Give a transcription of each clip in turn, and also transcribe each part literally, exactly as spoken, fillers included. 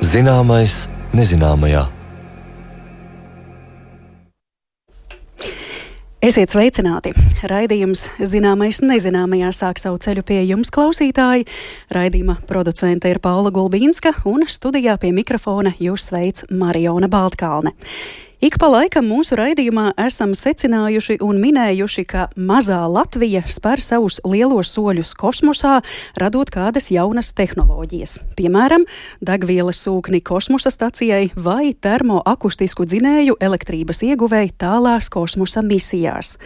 Zināmais nezināmajā. Esiet sveicināti! Raidījums Zināmais nezināmajā sāk savu ceļu pie jums, klausītāji. Raidījuma producente ir Paula Gulbīnska un studijā pie mikrofona jūs sveic Mariona Baltkalne. Ik pa laikam mūsu raidījumā esam secinājuši un minējuši, ka mazā Latvija spēr savus lielos soļus kosmosā, radot kādas jaunas tehnoloģijas. Piemēram, degvielas sūkni kosmosa stacijai vai termoakustisku dzinēju elektrības ieguvēji tālās kosmosa misijās.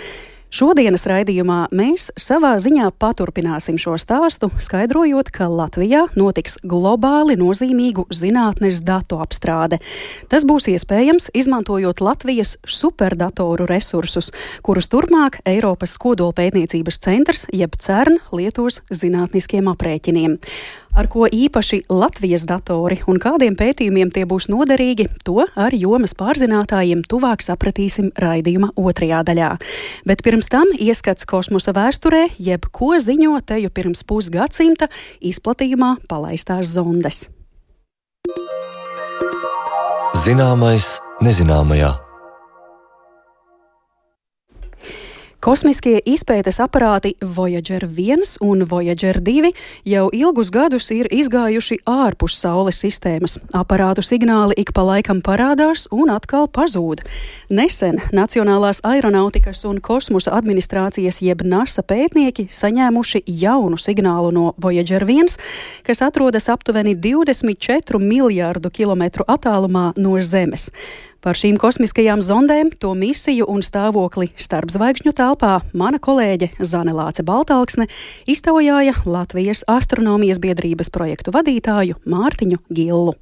Šodienas raidījumā mēs savā ziņā paturpināsim šo stāstu, skaidrojot, ka Latvijā notiks globāli nozīmīgu zinātnes datu apstrāde. Tas būs iespējams, izmantojot Latvijas superdatoru resursus, kurus turpmāk Eiropas kodolpētniecības centrs, jeb CERN, lietos zinātniskiem aprēķiniem. Ar ko īpaši Latvijas datori un kādiem pētījumiem tie būs noderīgi, to ar jomas pārzinātājiem tuvāk sapratīsim raidījuma otrajā daļā. Bet pirms tam ieskats kosmosa vēsturē, jeb ko ziņo teju pirms pusgadsimta izplatījumā palaistās zondes. Zināmais nezināmajā. Kosmiskie izpētes aparāti Voyager viens un Voyager divi jau ilgus gadus ir izgājuši ārpus Saules sistēmas. Aparātu signāli ik pa laikam parādās un atkal pazūd. Nesen Nacionālās aeronautikas un kosmosa administrācijas jeb NASA pētnieki saņēmuši jaunu signālu no Voyager viens, kas atrodas aptuveni divdesmit četru miljārdu kilometru attālumā no Zemes. Par šīm kosmiskajām zondēm, to misiju un stāvokli starpzvaigžņu telpā mana kolēģe Zane Lāce Baltalksne iztaujāja Latvijas astronomijas biedrības projektu vadītāju Mārtiņu Gillu.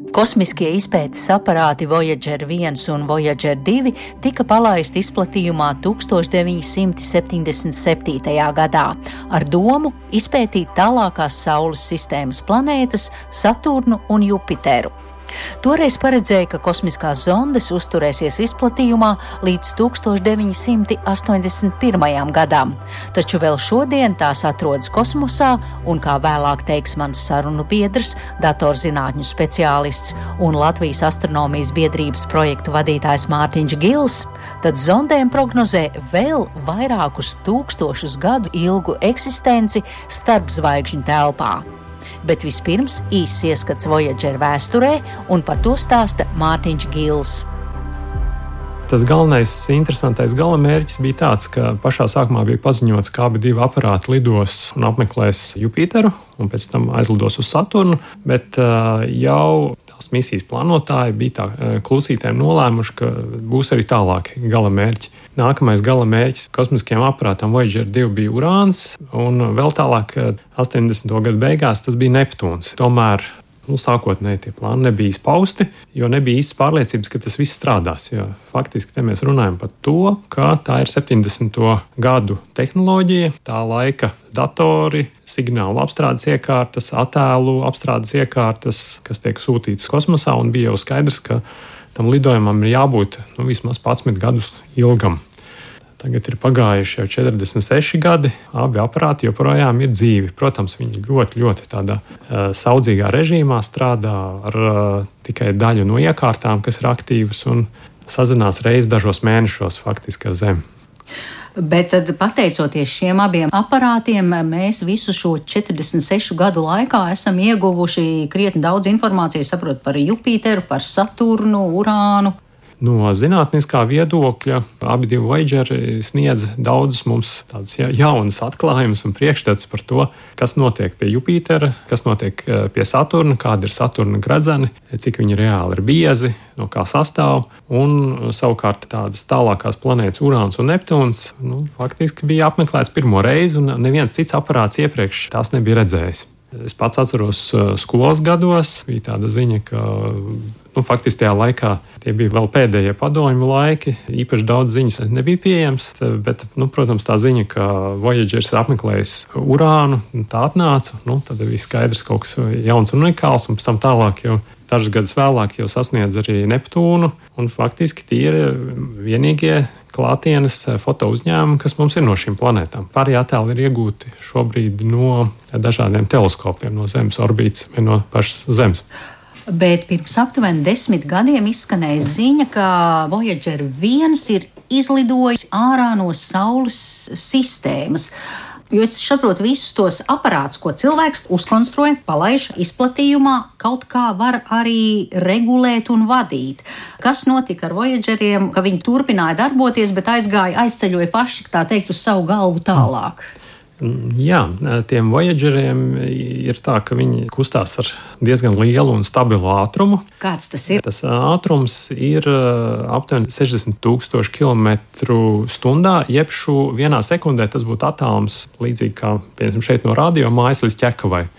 Kosmiskie izpētes aparāti Voyager viens un Voyager divi tika palaisti izplatījumā tūkstoš deviņi simti septiņdesmit septītajā gadā ar domu izpētīt tālākās Saules sistēmas planētas Saturnu un Jupiteru. Toreiz paredzēja, ka kosmiskās zondes uzturēsies izplatījumā līdz tūkstoš deviņi simti astoņdesmit pirmajam gadam, taču vēl šodien tās atrodas kosmosā un, kā vēlāk teiks mans sarunu biedrs, datorzinātņu speciālists un Latvijas astronomijas biedrības projektu vadītājs Mārtiņš Gils, tad zondēm prognozē vēl vairākus tūkstošus gadu ilgu eksistenci starpzvaigžņu telpā. Bet vispirms īsts ieskats Voyager vēsturē, un par to stāsta Mārtiņš Gils. Tas galvenais, interesantais galamērķis bija tāds, ka pašā sākumā bija paziņots, ka abi divi aparāti lidos un apmeklēs Jupiteru un pēc tam aizlidos uz Saturnu, bet uh, jau tās misijas plānotāji bija tā uh, klusītēm nolēmuši, ka būs arī tālāki galamērķi. Nākamais galamērķis kosmiskajam aparātam Voyager divi bija Urāns, un vēl tālāk astoņdesmito gadu beigās tas bija Neptūns. Tomēr nu, sākotnēji tie plāni nebija izpausti, jo nebija īstas pārliecības, ka tas viss strādās. Jo faktiski te mēs runājam par to, ka tā ir septiņdesmito gadu tehnoloģija, tā laika datori, signālu apstrādes iekārtas, attēlu apstrādes iekārtas, kas tiek sūtītas kosmosā, un bija jau skaidrs, ka tam lidojumam ir jābūt nu, vismaz padsmit gadus ilgam. Tagad ir pagājuši jau četrdesmit seši gadi, abi aparāti joprojām ir dzīvi. Protams, viņi ļoti, ļoti tādā uh, saudzīgā režīmā strādā ar uh, tikai daļu no iekārtām, kas ir aktīvas un sazinās reiz dažos mēnešos faktiski ar Zemi. Bet tad, pateicoties šiem abiem aparātiem, mēs visu šo četrdesmit sešu gadu laikā esam ieguvuši krietni daudz informācijas, saprot, par Jupiteru, par Saturnu, Urānu. No zinātniskā viedokļa abi divi Voyageri sniedz daudzus mums tādas jaunas atklājumus un priekšstats par to, kas notiek pie Jupitera, kas notiek pie Saturna, kāda ir Saturna gredzeni, cik viņi reāli ir biezi, no kā sastāv, un savukārt tādas tālākās planētas Urāns un Neptūns nu, faktiski bija apmeklēts pirmo reizi, un neviens cits aparāts iepriekš tās nebija redzējis. Es pats atceros skolas gados, bija tāda ziņa, ka nu, faktiski tajā laikā tie bija vēl pēdējie padomju laiki, īpaši daudz ziņas nebija pieejams, bet, nu, protams, tā ziņa, ka Voyagers ir apmeklējis Urānu, tā atnāca, nu, tad bija skaidrs kaut kas jauns un unikāls, un pēc tam tālāk jau dažus gadus vēlāk jau sasniedz arī Neptūnu, un faktiski tie ir vienīgie klātienes foto uzņēmumi, kas mums ir no šīm planētām. Pārējie attēli ir iegūti šobrīd no dažādiem teleskopiem, no Zemes orbītas vai no pašas Zemes. Bet pirms aptuveni desmit gadiem izskanēja ziņa, ka Voyager viens ir izlidojis ārā no Saules sistēmas. Jo es saprotu, visus tos aparātus, ko cilvēks uzkonstruē, palaiž izplatījumā, kaut kā var arī regulēt un vadīt. Kas notika ar Voyageriem, ka viņi turpināja darboties, bet aizgāja, aizceļoja paši, tā teikt, uz savu galvu tālāk? Jā, tiem Voyageriem ir tā, ka viņi kustās ar diezgan lielu un stabilu ātrumu. Kāds tas ir? Tas ātrums ir aptuveni sešdesmit tūkstoši kilometru stundā, jeb šo vienā sekundē tas būtu attālums līdzīgi kā, piemēram, šeit no radio mājas līdz Ķekavai.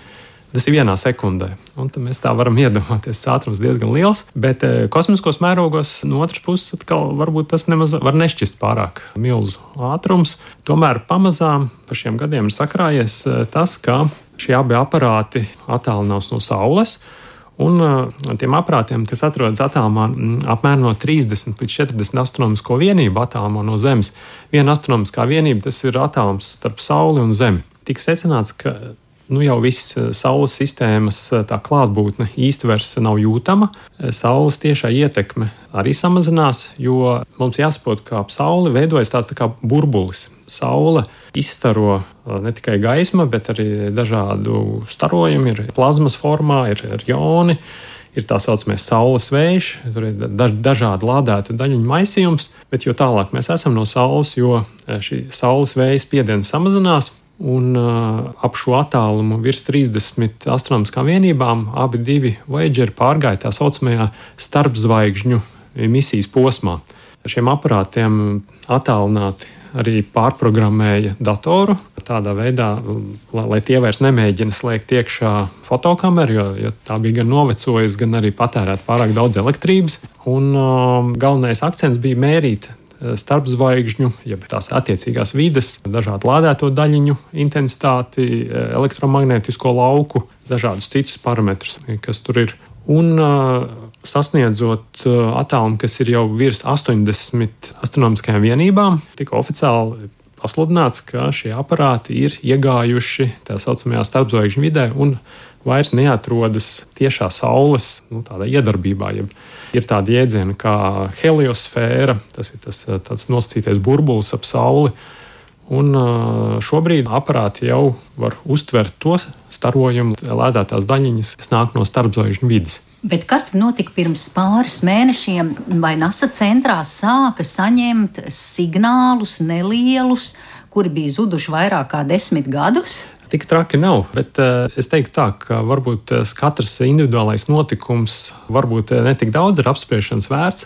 Tas ir vienā sekundē, un tad mēs tā varam iedomāties, tas ātrums diezgan liels, bet e, kosmiskos mērogos no otras puses atkal varbūt tas nemaz var nešķist pārāk milzu ātrums. Tomēr pamazām pa šiem gadiem ir sakrājies e, tas, ka šie abi aparāti attālinās no Saules, un e, tiem aparātiem, kas atrodas attālumā apmēram no trīsdesmit līdz četrdesmit astronomisko vienību attālumā no Zemes. Viena astronomiskā vienība, tas ir attālums starp Sauli un Zemi. Tika secināts, ka nu jau viss Saules sistēmas tā klātbūtne īsti vairs nav jūtama. Saules tiešā ietekme arī samazinās, jo mums jāsaprot, ka ap Sauli veidojas tāds tā kā burbulis. Saule izstaro ne tikai gaisma, bet arī dažādu starojumu, ir plazmas formā, ir, ir joni, ir tā saucamais saules vējš, tur ir daž, dažādi lādētu daļiņu maisījums, bet jo tālāk mēs esam no Saules, jo šī saules vēja spiediens samazinās. Un uh, ap šo attālumu virs trīsdesmit astronomiskām vienībām abi divi Voyageri pārgāja tā saucamajā starpzvaigžņu misijas posmā. Šiem aparātiem attālināti arī pārprogrammēja datoru tādā veidā, lai tie vairs nemēģina slēgt iekšā fotokameru, jo, jo tā bija gan novecojusi, gan arī patērēt pārāk daudz elektrības. Un uh, galvenais akcents bija mērīt starpzvaigžņu, jeb tās attiecīgās vides, dažādu lādēto daļiņu intensitāti, elektromagnētisko lauku, dažādus citus parametrus, kas tur ir. Un sasniedzot attālumu, kas ir jau virs astoņdesmit astronomiskajām vienībām, tika oficiāli pasludināts, ka šie aparāti ir iegājuši tā saucamajā starpzvaigžņu vidē un vairs neatrodas tiešā Saules nu, tādā iedarbībā. Jeb ir tādi jēdzieni kā heliosfēra, tas ir tas tāds nosacītais burbulis ap Sauli. Un šobrīd aparāti jau var uztvert to starojumu, lēdētās daļiņas, kas nāk no starpzvaigžņu vides. Bet kas tad notika pirms pāris mēnešiem? Vai NASA centrā sāka saņemt signālus nelielus, kuri bija zuduši vairāk kā desmit gadus? Tik traki nav, bet uh, es teiktu tā, ka varbūt uh, katrs individuālais notikums varbūt uh, ne tik daudz ir apspriešanas vērts,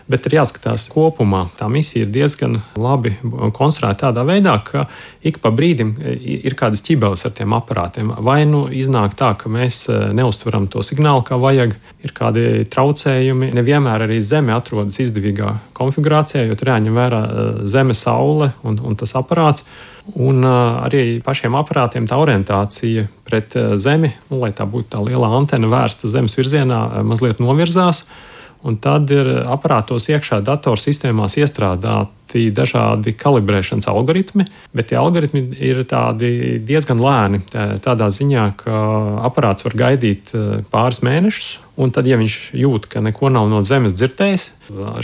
bet ir jāskatās kopumā. Tā misija ir diezgan labi konstruēta tādā veidā, ka ik pa brīdim ir kādas ķibeles ar tiem aparātiem. Vai nu iznāk tā, ka mēs neuztveram to signālu kā vajag, ir kādi traucējumi. Nevienmēr arī Zeme atrodas izdevīgā konfigurācijā, jo tur jāņem vērā Zeme, Saule un, un tas aparāts. Un uh, arī pašiem aparātiem tā orientācija pret uh, Zemi, nu, lai tā būtu tā liela antena vērsta Zemes virzienā, uh, mazliet novirzās. Un tad ir aparātos iekšā datorsistēmās iestrādāti dažādi kalibrēšanas algoritmi, bet tie algoritmi ir tādi diezgan lēni. Tādā ziņā, ka aparāts var gaidīt pāris mēnešus, un tad, ja viņš jūt, ka neko nav no Zemes dzirdējis,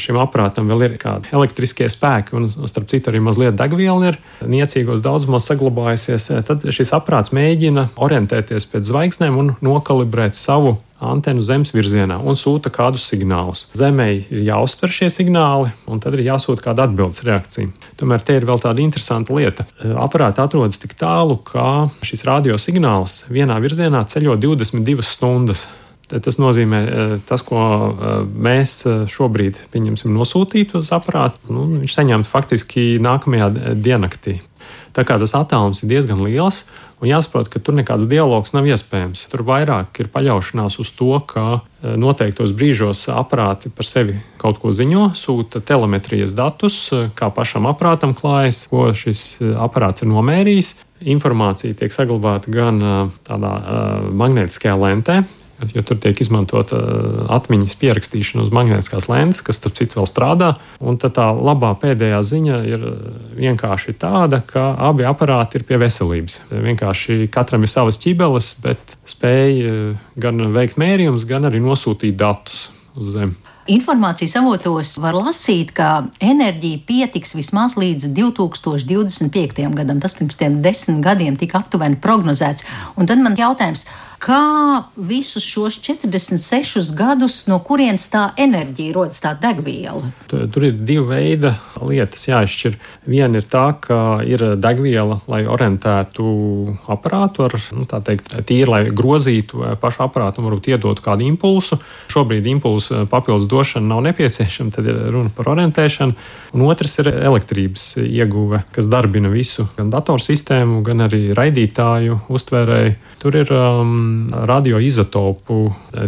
šim aparātam vēl ir kādi elektriskie spēki, un starp citu arī mazliet degviela ir niecīgos daudzumos saglabājusies, tad šis aparāts mēģina orientēties pēc zvaigznēm un nokalibrēt savu antenu Zemes virzienā un sūta kādus signālus. Zemei ir jāuztver šie signāli, un tad ir jāsūta kāda atbildes reakcija. Tomēr te ir vēl tāda interesanta lieta. Aparāti atrodas tik tālu, ka šis radiosignāls vienā virzienā ceļo divdesmit divas stundas. Tas nozīmē, tas, ko mēs šobrīd pieņemsim nosūtītu uz aparātu, nu, viņš saņemtu faktiski nākamajā diennaktī. Tā kā tas attālums ir diezgan liels, un jāsaprot, ka tur nekāds dialogs nav iespējams. Tur vairāk ir paļaušanās uz to, ka noteiktos brīžos aparāti par sevi kaut ko ziņo, sūta telemetrijas datus, kā pašam aparātam klājas, ko šis aparāts ir nomērījis. Informācija tiek saglabāta gan tādā magnētiskajā lentē, jo tur tiek izmantota atmiņas pierakstīšana uz magnētiskās lentes, kas starp citu vēl strādā. Un tad tā labā pēdējā ziņa ir vienkārši tāda, ka abi aparāti ir pie veselības. Vienkārši katram ir savas ķibeles, bet spēj gan veikt mērījumus, gan arī nosūtīt datus uz Zemi. Informācijas avotos var lasīt, ka enerģija pietiks vismaz līdz divi tūkstoši divdesmit piektajam gadam. Tas pirms tiem desmit gadiem tika aptuveni prognozēts. Un tad man jautājums, kā visus šos četrdesmit sešus gadus, no kurienes tā enerģija rodas, tā degviela? Tur, tur ir divi veidi lietas jāizšķir. Viena ir tā, ka ir degviela, lai orientētu aparātu ar, nu, tā teikt, tīri, lai grozītu pašu aparātu un varbūt iedotu kādu impulsu. Šobrīd impulsu papildus došana nav nepieciešama, tad ir runa par orientēšanu. Un otrs ir elektrības ieguve, kas darbina visu, gan datorsistēmu, gan arī raidītāju, uztvērēju. Tur ir um, radioizotopu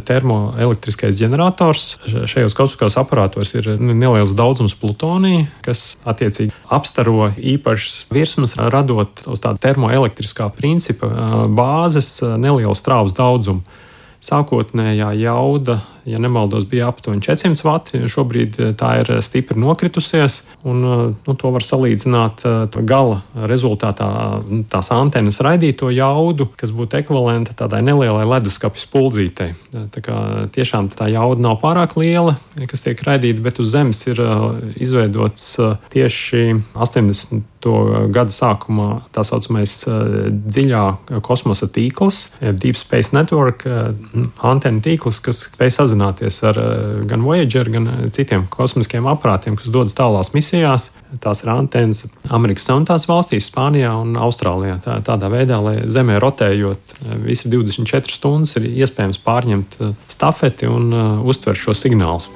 termoelektriskais ģenerators. Šajos kosmiskos aparātos ir neliels daudzums plutonija, kas attiecīgi apstaro īpašas virsmas, radot uz tāda termoelektriskā principa bāzes nelielu strāvas daudzumu. Sākotnējā jauda, ja nemaldos, bija aptuveni četrsimt vati. Šobrīd tā ir stipri nokritusies, un nu, to var salīdzināt gala rezultātā tās antenas raidīto jaudu, kas būtu ekvivalenta tādai nelielai leduskapja spuldzītei. Tā kā tiešām tā jauda nav pārāk liela, kas tiek raidīta, bet uz Zemes ir izveidots tieši astoņdesmito gadu sākumā tā saucamais dziļā kosmosa tīkls, Deep Space Network, antenu tīkls, kas spēj sazināties ar gan Voyager, gan citiem kosmiskiem aparātiem, kas dodas tālās misijās. Tās ir antenas Amerikas Savienotās valstīs, Spānijā un Austrālijā. Tā, tādā veidā, lai Zemē rotējot visi divdesmit četras stundas, ir iespējams pārņemt stafeti un uh, uztvert šo signālus.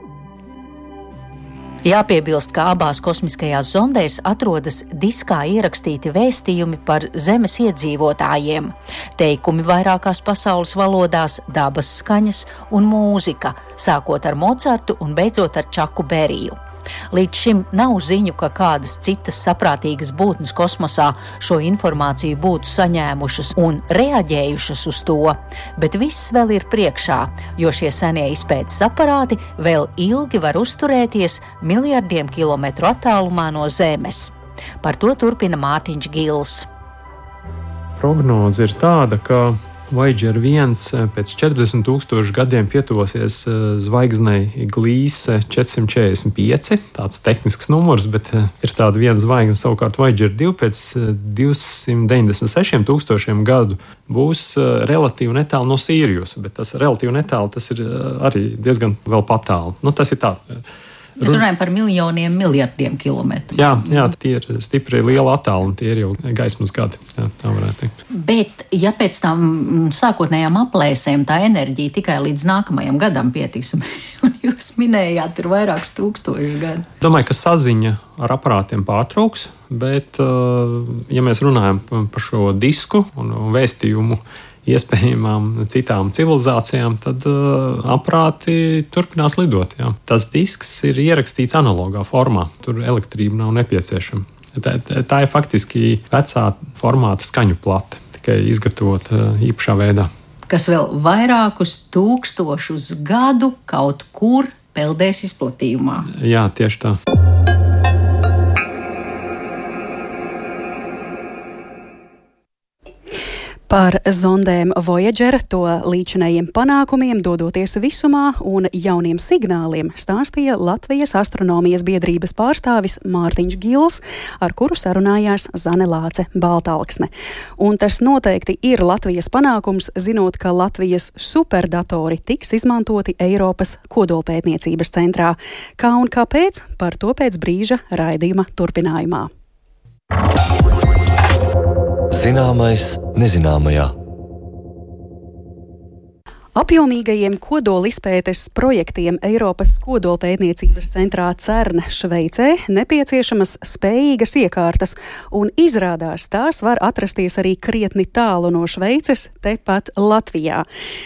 Jāpiebilst, ka abās kosmiskajās zondēs atrodas diskā ierakstīti vēstījumi par Zemes iedzīvotājiem, teikumi vairākās pasaules valodās, dabas skaņas un mūzika, sākot ar Mocartu un beidzot ar Čaku Beriju. Līdz šim nav ziņu, ka kādas citas saprātīgas būtnes kosmosā šo informāciju būtu saņēmušas un reaģējušas uz to, bet viss vēl ir priekšā, jo šie senie izpētes aparāti vēl ilgi var uzturēties miljardiem kilometru attālumā no Zemes. Par to turpina Mārtiņš Gils. Prognoze ir tāda, ka Voyager viens pēc četrdesmit tūkstošu gadiem pietuvosies zvaigznei Glīse četrsimt četrdesmit pieci, tāds tehnisks numurs, bet ir tāda viena zvaigzne, savukārt Voyager divi pēc divsimt deviņdesmit sešiem tūkstošiem gadu būs relatīvi netālu no Sīrijusa, bet tas relatīvi netālu, tas ir arī diezgan vēl patālu. Nu, tas ir tā. Mēs runājam par miljoniem, miljardiem kilometru. Jā, jā, tie ir stipri liela attālumi, tie ir jau gaismas gadi, jā, tā varētu teikt. Bet, ja pēc tam sākotnējām aplēsēm tā enerģija tikai līdz nākamajam gadam pietiks, un jūs minējāt, tur vairākus tūkstošus gadu. Domāju, ka saziņa ar aparātiem pārtrauks, bet, ja mēs runājam par šo disku un vēstījumu iespējamām citām civilizācijām, tad uh, aparāti turpinās lidot. Jā. Tas disks ir ierakstīts analogā formā, tur elektrība nav nepieciešama. Tā, tā, tā ir faktiski vecā formāta skaņu plate, tikai izgatavot uh, īpašā veidā. Kas vēl vairākus tūkstošus gadu kaut kur peldēs izplatījumā. Jā, tieši tā. Par zondēm Voyager, to līdzinējiem panākumiem, dodoties visumā un jauniem signāliem, stāstīja Latvijas astronomijas biedrības pārstāvis Mārtiņš Gils, ar kuru sarunājās Zane Lāce Baltalksne. Un tas noteikti ir Latvijas panākums, zinot, ka Latvijas superdatori tiks izmantoti Eiropas kodolpētniecības centrā. Kā un kāpēc, par to pēc brīža raidījuma turpinājumā. Zināmais nezināmajā. Apjomīgajiem kodolizpētes projektiem Eiropas kodolpētniecības centrā CERN Šveicē nepieciešamas spējīgas iekārtas, un izrādās tās var atrasties arī krietni tālu no Šveices, tepat Latvijā.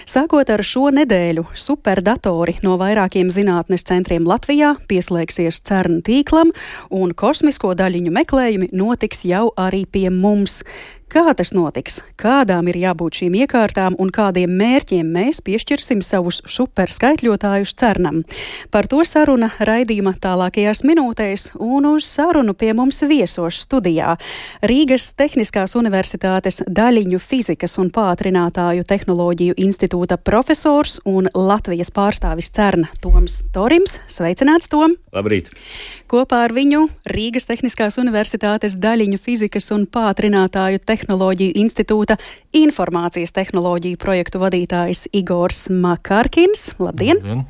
Sākot ar šo nedēļu, superdatori no vairākiem zinātnes centriem Latvijā pieslēgsies CERN tīklam, un kosmisko daļiņu meklējumi notiks jau arī pie mums. Kā tas notiks? Kādām ir jābūt šīm iekārtām un kādiem mērķiem mēs piešķirsim savus superskaitļotājus CERNam? Par to saruna raidījuma tālākajās minūtēs, un uz sarunu pie mums viesos studijā Rīgas Tehniskās Universitātes daļiņu fizikas un pātrinātāju tehnoloģiju institūta profesors un Latvijas pārstāvis CERN Toms Torims. Sveicināts, Tom! Labrīt! Kopā ar viņu Rīgas Tehniskās Universitātes daļiņu fizikas un pātrinātāju tehnoloģiju institūta informācijas tehnoloģiju projektu vadītājs Igors Makarkins. Labdien! Labdien.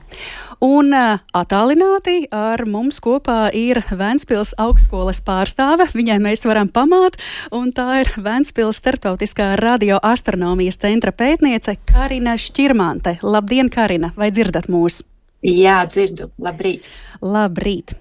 Un uh, attālināti ar mums kopā ir Ventspils augstskolas pārstāve. Viņai mēs varam pamāt, un tā ir Ventspils starptautiskā radioastronomijas centra pētniece Karina Šķirmante. Labdien, Karina! Vai dzirdat mūs? Jā, dzirdu. Labrīt! Labrīt!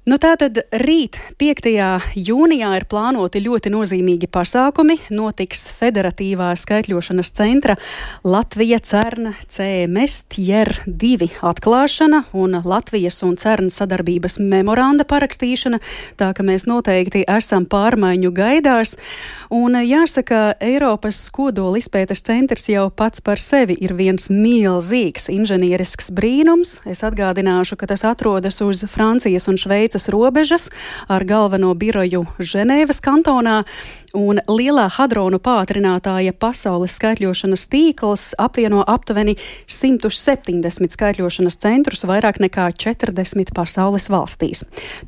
Nu tātad rīt, piektajā jūnijā, ir plānoti ļoti nozīmīgi pasākumi. Notiks Federatīvā skaitļošanas centra Latvija CERN C M S Tier divi atklāšana un Latvijas un CERN sadarbības memoranda parakstīšana, tā ka mēs noteikti esam pārmaiņu gaidās. Un jāsaka, Eiropas kodola izpētes centrs jau pats par sevi ir viens milzīgs inženierisks brīnums. Es atgādināšu, ka tas atrodas uz Francijas un Šveices robežas ar galveno biroju Ženēvas kantonā, un lielā hadronu pātrinātāja pasaules skaitļošanas tīkls apvieno aptuveni simt septiņdesmit skaitļošanas centrus vairāk nekā četrdesmit pasaules valstīs.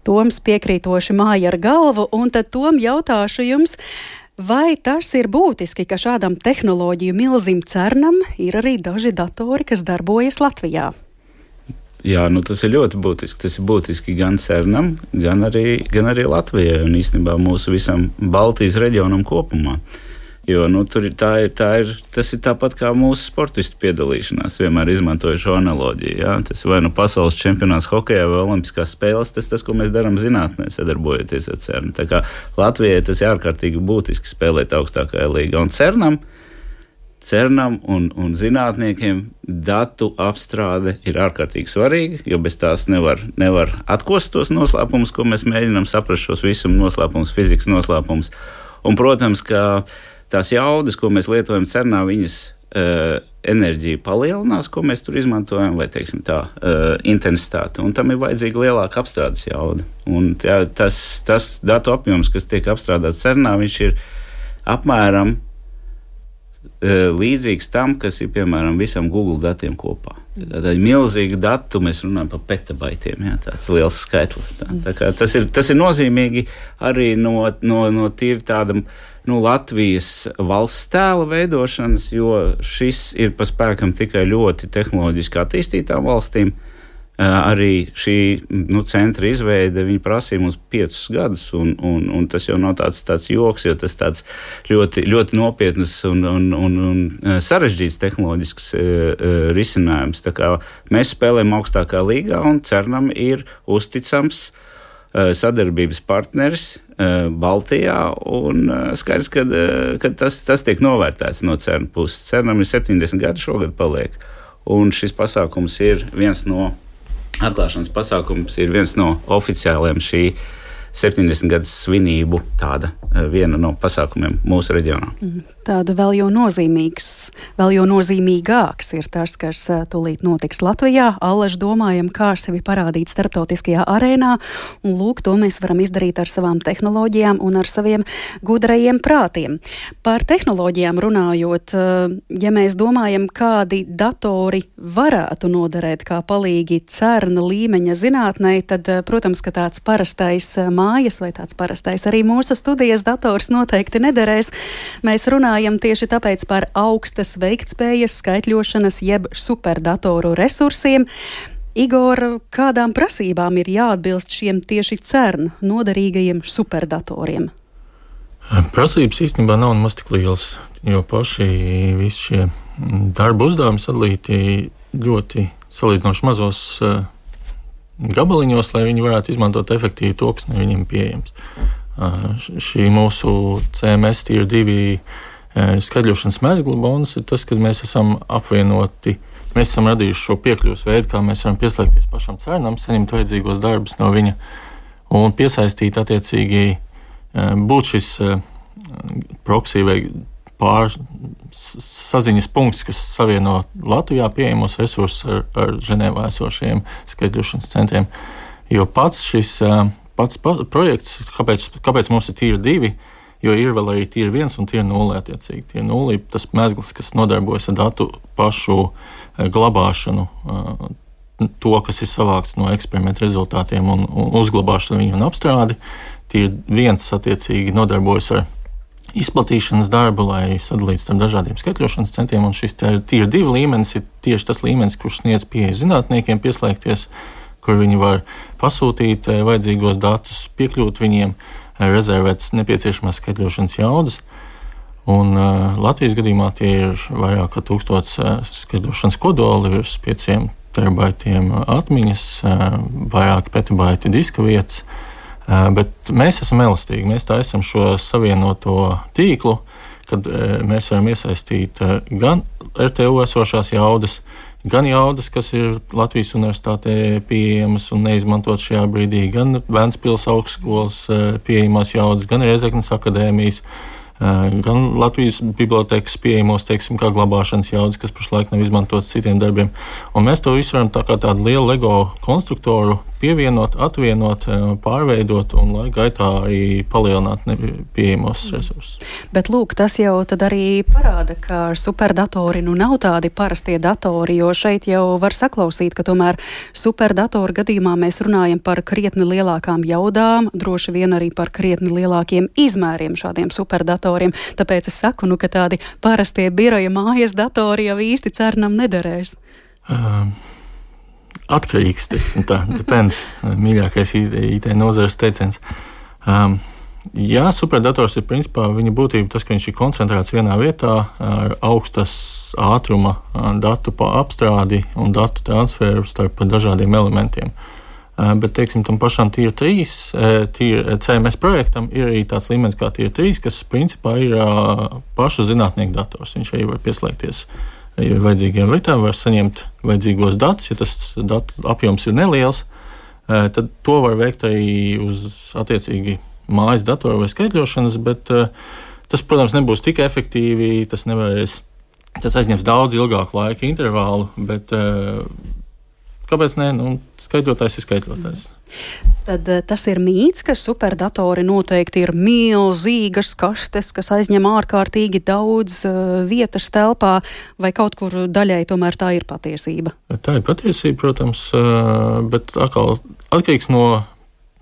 Toms piekrītoši māja ar galvu, un tad Tom jautāšu jums, vai tas ir būtiski, ka šādam tehnoloģiju milzim CERNam ir arī daži datori, kas darbojas Latvijā? Jā, nu tas ir ļoti būtiski. Tas ir būtiski gan CERNam, gan arī, gan arī Latvijai un īstenībā mūsu visam Baltijas reģionam kopumā. Jo nu, tur ir, tā ir, tā ir, tas ir tāpat kā mūsu sportistu piedalīšanās. Vienmēr izmantoju šo analoģiju. Jā. Tas vai nu pasaules čempionāts hokejā vai olimpiskās spēles, tas tas, ko mēs darām zinātnē, sadarbojoties ar CERN. Tā kā Latvijai tas ir ārkārtīgi būtiski spēlēt augstākajā līgā. Un CERNam CERNam un, un zinātniekiem datu apstrāde ir ārkārtīgi svarīga, jo bez tās nevar, nevar atkost tos noslēpumus, ko mēs mēģinām saprast, šos visuma noslēpumus, fizikas noslēpumus. Un, protams, ka tās jaudas, ko mēs lietojam CERNā, viņas uh, enerģija palielinās, ko mēs tur izmantojam, vai, teiksim tā, uh, intensitāte. Un tam ir vajadzīga lielāka apstrādes jauda. Un tā, tas, tas datu apjoms, kas tiek apstrādāts CERNā, viņš ir apmēram līdzīgs tam, kas ir, piemēram, visam Google datiem kopā. Tā ir milzīga datu, mēs runājam par petabaitiem, jā, tāds liels skaitlis. Tā, tā kā tas ir, tas ir nozīmīgi arī no, no, no tīri tādam, nu, Latvijas valsts tēla veidošanas, jo šis ir pa spēkam tikai ļoti tehnoloģiski attīstītām valstīm. Arī šī nu, centra izveide, viņi prasīja mums piecus gadus, un, un, un tas jau nav tāds, tāds joks, jo tas tāds ļoti, ļoti nopietnas un, un, un, un sarežģīts tehnoloģisks uh, risinājums. Tā kā mēs spēlējam augstākā līgā, un CERNam ir uzticams uh, sadarbības partneris uh, Baltijā, un uh, skaidrs, ka uh, tas, tas tiek novērtēts no CERN puses. CERNam ir septiņdesmit gadi šogad paliek, un šis pasākums ir viens no Atklāšanas pasākums ir viens no oficiāliem šī septiņdesmit gadus svinību tāda viena no pasākumiem mūsu reģionā. Tāda vēl jau nozīmīgs, vēl jau nozīmīgāks ir tas, kas tūlīt notiks Latvijā. Allaž domājam, kā sevi parādīt starptautiskajā arēnā, un lūk, to mēs varam izdarīt ar savām tehnoloģijām un ar saviem gudrajiem prātiem. Par tehnoloģijām runājot, ja mēs domājam, kādi datori varētu noderēt kā palīgi CERN līmeņa zinātnei, tad, protams, ka tāds parastais mājas vai tāds parastais arī mūsu studijas dators noteikti nederēs. Mēs runājam tieši tāpēc par augstas veiktspējas skaitļošanas jeb superdatoru resursiem. Igor, kādām prasībām ir jāatbilst šiem tieši CERN noderīgajiem superdatoriem? Prasības īstenībā nav nemaz tik lielas, jo paši visi šie darba uzdevumi sadalīti ļoti salīdzinoši mazos uh, gabaliņos, lai viņi varētu izmantot efektīvi to, kas no viņiem pieejams. Uh, šī mūsu C M S Tier divi uh, skaidrošanas mezgla bonus ir tas, ka mēs esam apvienoti, mēs esam radījuši šo piekļuvas veidu, kā mēs varam pieslēgties pašam CERNam, saņemt vajadzīgos darbus no viņa un piesaistīt attiecīgi uh, būt šis uh, proxy vai pār saziņas punkts, kas savieno Latvijā pieejamos resursus ar, ar Ženēvā esošiem skaitļošanas centriem. Jo pats šis pats projekts, kāpēc, kāpēc mums ir tīri divi, jo ir vēl arī tīri viens un tīri nulle attiecīgi. Tīri nulle ir tas mezgls, kas nodarbojas ar datu pašu glabāšanu, to, kas ir savākts no eksperimentu rezultātiem un, un uzglabāšanu viņu un apstrādi. Tīri viens attiecīgi nodarbojas ar izplatīšanas darbu, lai sadalītu starp dažādiem skaitļošanas centriem, un šis tīri divi līmenis ir tieši tas līmenis, kurš sniedz pieeju zinātniekiem pieslēgties, kur viņi var pasūtīt vajadzīgos datus, piekļūt viņiem, rezervēt nepieciešamās skaitļošanas jaudas. Un uh, Latvijas gadījumā tie ir vairāk kā tūkstots uh, skaitļošanas kodoli, virs pieciem terabaitiem atmiņas, uh, vairāk petabaiti diska vietas. Uh, bet mēs esam elastīgi, mēs taisam šo savienoto tīklu, kad uh, mēs varam iesaistīt uh, gan R T U esošās jaudas, gan jaudas, kas ir Latvijas universitātē pieejamas un neizmantot šajā brīdī, gan Ventspils augstskolas pieejamās jaudas, gan Rēzeknes akadēmijas, gan Latvijas bibliotekas pieejamos, teiksim, kā glabāšanas jaudas, kas pašlaik nav izmantotas citiem darbiem. Un mēs to visu varam tā kā tādu lielu Lego konstruktoru pievienot, atvienot, pārveidot un laika gaitā arī palielināt pieejamos resursus. Bet lūk, tas jau tad arī parāda, ka superdatori nu nav tādi parastie datori, jo šeit jau var saklausīt, ka tomēr superdatoru gadījumā mēs runājam par krietni lielākām jaudām, droši vien arī par krietni lielākiem izmēriem šādiem superdatoriem. Tāpēc es saku, nu, ka tādi parastie biroja mājas datori jau īsti cernam nederēs. Um. Atkarīgs, teiksim tā, depends, mīļākais I T nozares teiciens. Um, jā, superdators ir principā viņa būtība tas, ka viņš ir koncentrēts vienā vietā ar augstas ātruma datu apstrādi un datu transferu starp dažādiem elementiem. Uh, bet, teiksim, tam pašam tier trīs, tier C M S projektam ir arī tāds līmenis kā tier trīs, kas principā ir uh, pašu zinātnieku dators. Viņš arī var pieslēgties ir vajadzīgiem lietām, var saņemt vajadzīgos datus. Ja tas datu apjoms ir neliels, tad to var veikt arī uz attiecīgi mājas datoru vai skaitļošanas, bet tas, protams, nebūs tik efektīvi, tas nevarēs, tas aizņems daudz ilgāku laika intervālu, bet kāpēc ne? Nu, skaitļotājs ir skaitļotājs. Tad tas ir mīts, ka superdatori noteikti ir milzīgas kastes, kas aizņem ārkārtīgi daudz uh, vietas telpā, vai kaut kur daļai tomēr tā ir patiesība? Tā ir patiesība, protams, uh, bet atkal atkarīgs no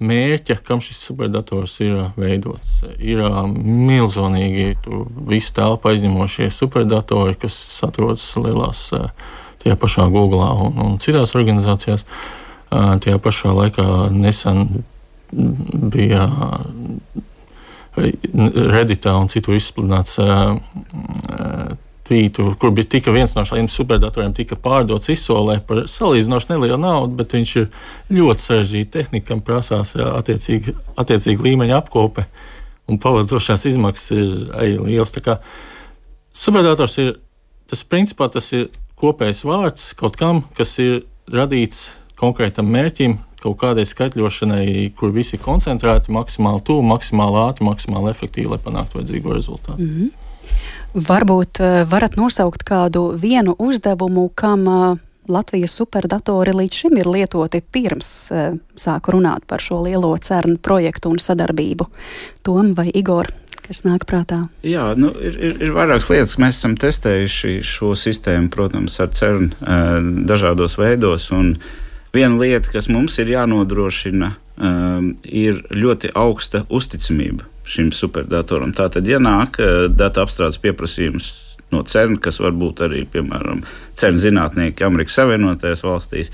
mērķa, kam šis superdators ir veidots. Ir uh, milzonīgi visu telpu aizņemošie superdatori, kas atrodas lielās uh, tajā pašā Googlā un, un citās organizācijās. Tajā pašā laikā nesen bija Redditā un citur izsludināts tvītu, kur bija tika viens no šādiem superdatoriem tika pārdots izsolē par salīdzinoši nelielu naudu, bet viņš ir ļoti sarežģīta tehnika, kam prasās attiecīgi, attiecīgi līmeņa apkope un pavadošās izmaksas ir arī liels. Tā kā superdators ir, tas principā tas ir kopējs vārds kaut kam, kas ir radīts konkrētam mērķim, kaut kādai skaitļošanai, kur visi koncentrēti, maksimāli tuvu, maksimāli ātri, maksimāli efektīvi, lai panāktu vajadzīgo rezultātu. Mm-hmm. Varbūt varat nosaukt kādu vienu uzdevumu, kam Latvijas superdatori līdz šim ir lietoti pirms sāku runāt par šo lielo CERN projektu un sadarbību. Tom vai Igor, kas nāk prātā? Jā, nu, ir, ir, ir vairākas lietas, mēs esam testējuši šo sistēmu, protams, ar CERN dažādos veidos, un viena lieta, kas mums ir jānodrošina, um, ir ļoti augsta uzticamība šim superdatoram. Tātad, ja nāk uh, datu apstrādes pieprasījums no CERN, kas var būt arī, piemēram, CERN zinātnieki Amerikas Savienotajās valstīs,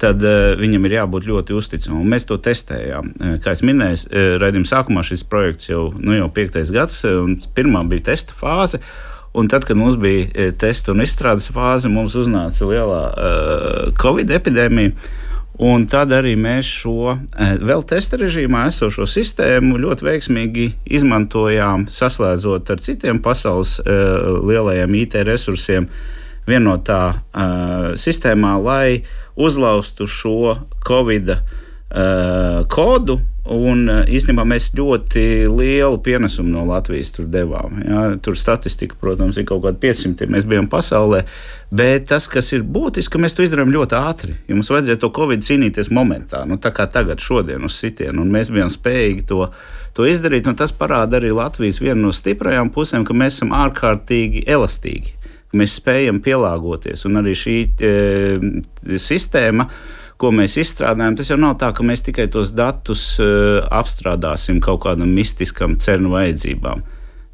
tad uh, viņam ir jābūt ļoti uzticamam. Mēs to testējām. Uh, kā es minēju, uh, raidījuma sākumā šis projekts jau, nu, jau piektais gads, un pirmā bija testa fāze. Un tad, kad mums bija testa un izstrādes fāze, mums uznāca lielā uh, Covid epidēmija. Un tad arī mēs šo uh, vēl testa režīmā esošo sistēmu ļoti veiksmīgi izmantojām, saslēdzot ar citiem pasaules uh, lielajiem I T resursiem vienotā uh, sistēmā, lai uzlaustu šo Covid uh, kodu Un īstenībā mēs ļoti lielu pienesumu no Latvijas tur devām. Ja? Tur statistika, protams, ir kaut kāda piecsimt, mēs bijām pasaulē, bet tas, kas ir būtiski, ka mēs to izdarām ļoti ātri. Ja mums vajadzēja to Covid cīnīties momentā, nu, tā kā tagad, šodien uz sitienu, un mēs bijām spējīgi to, to izdarīt, un tas parāda arī Latvijas vienu no stiprajām pusēm, ka mēs esam ārkārtīgi elastīgi, ka mēs spējam pielāgoties, un arī šī e, sistēma, ko mēs izstrādājam, tas jau nav tā, ka mēs tikai tos datus uh, apstrādāsim kaut kādam mistiskam cernu vajadzībām.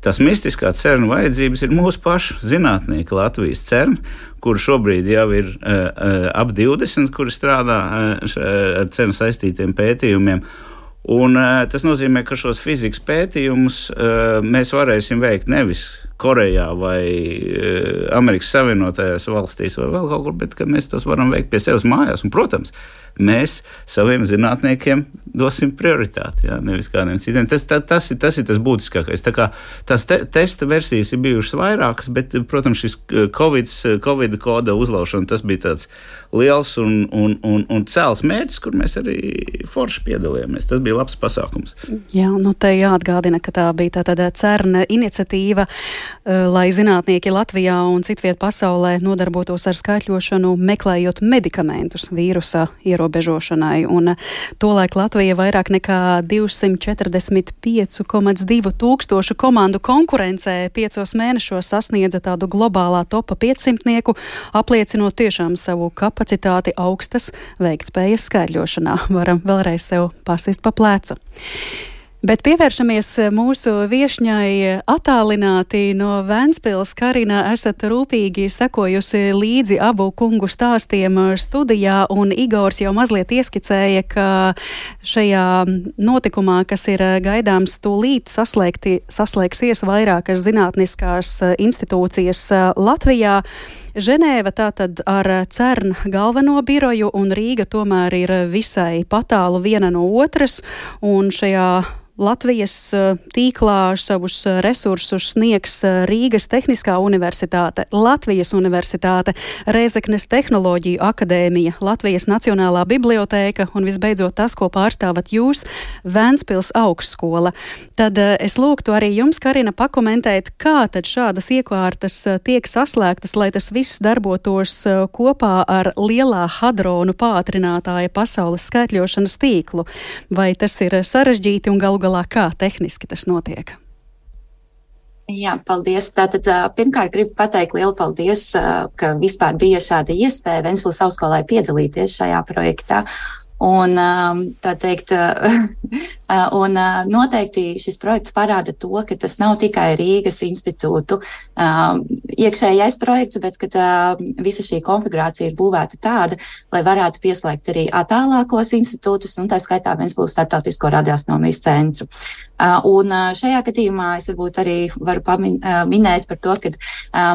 Tas mistiskā cernu vajadzības ir mūsu pašu zinātnieki Latvijas cerni, kuri šobrīd jau ir uh, uh, ap divdesmit, kuri strādā uh, ar cernu saistītiem pētījumiem. Un, uh, tas nozīmē, ka šos fizikas pētījumus uh, mēs varēsim veikt nevis Korejā vai uh, Amerikas Savienotajās valstīs vai vēl kaut kur, bet ka mēs tos varam veikt pie sevis mājās. Un, protams, mēs saviem zinātniekiem dosim prioritāti, jā, nevis kādiem citiem. Tas, tā, tas, ir, tas ir tas būtiskākais. Tā kā tās te, testa versijas ir bijušas vairākas, bet, protams, šis COVID, COVID koda uzlaušana, tas bija tāds liels un, un, un, un cēls mērķis, kur mēs arī forši piedalījāmies. Tas bija labs pasākums. Jā, nu te jāatgādina, ka tā bija tā tāda cerna iniciatīva, lai zinātnieki Latvijā un citviet pasaulē nodarbotos ar skaitļošanu, meklējot medikamentus vīrusa ierobežošanai. Un tolaik Latvija vairāk nekā divsimt četrdesmit pieci komats divi tūkstošu komandu konkurencē piecos mēnešos sasniedza tādu globālā topa piecsimtnieku, apliecinot tiešām savu kapacitāti augstas veiktspējas skaitļošanā. Varam vēlreiz sev pasist pa plecu. Bet pievēršamies mūsu viešņai attālināti no Ventspils. Karina, esat rūpīgi sekojusi līdzi abu kungu stāstiem studijā, un Igors jau mazliet ieskicēja, ka šajā notikumā, kas ir gaidāms tūlīt, saslēgti, saslēgsies vairākas zinātniskās institūcijas Latvijā. Ženēva tātad ar CERN galveno biroju, un Rīga tomēr ir visai patālu viena no otras, un šajā Latvijas tīklā savus resursus sniegs Rīgas Tehniskā universitāte, Latvijas universitāte, Rēzeknes Tehnoloģiju akadēmija, Latvijas Nacionālā bibliotēka un visbeidzot tas, ko pārstāvat jūs, Ventspils augstskola. Tad es lūgtu arī jums, Karina, pakomentēt, kā tad šādas iekārtas tiek saslēgtas, lai tas viss darbotos kopā ar lielā hadronu pātrinātāja pasaules skaitļošanas tīklu. Vai tas ir sarežģīti un galu galā kā tehniski tas notiek? Jā, paldies. Tātad pirmkārt gribu pateikt lielu paldies, ka vispār bija šāda iespēja Ventspils augstskolai piedalīties šajā projektā. Un, tā teikt, un noteikti šis projekts parāda to, ka tas nav tikai Rīgas institūtu iekšējais projekts, bet ka visa šī konfigurācija ir būvēta tāda, lai varētu pieslēgt arī attālākos institūtus, un tā skaitā Ventspils Starptautisko radioastronomijas centru. Un šajā gadījumā es varbūt arī varu pamin, minēt par to, ka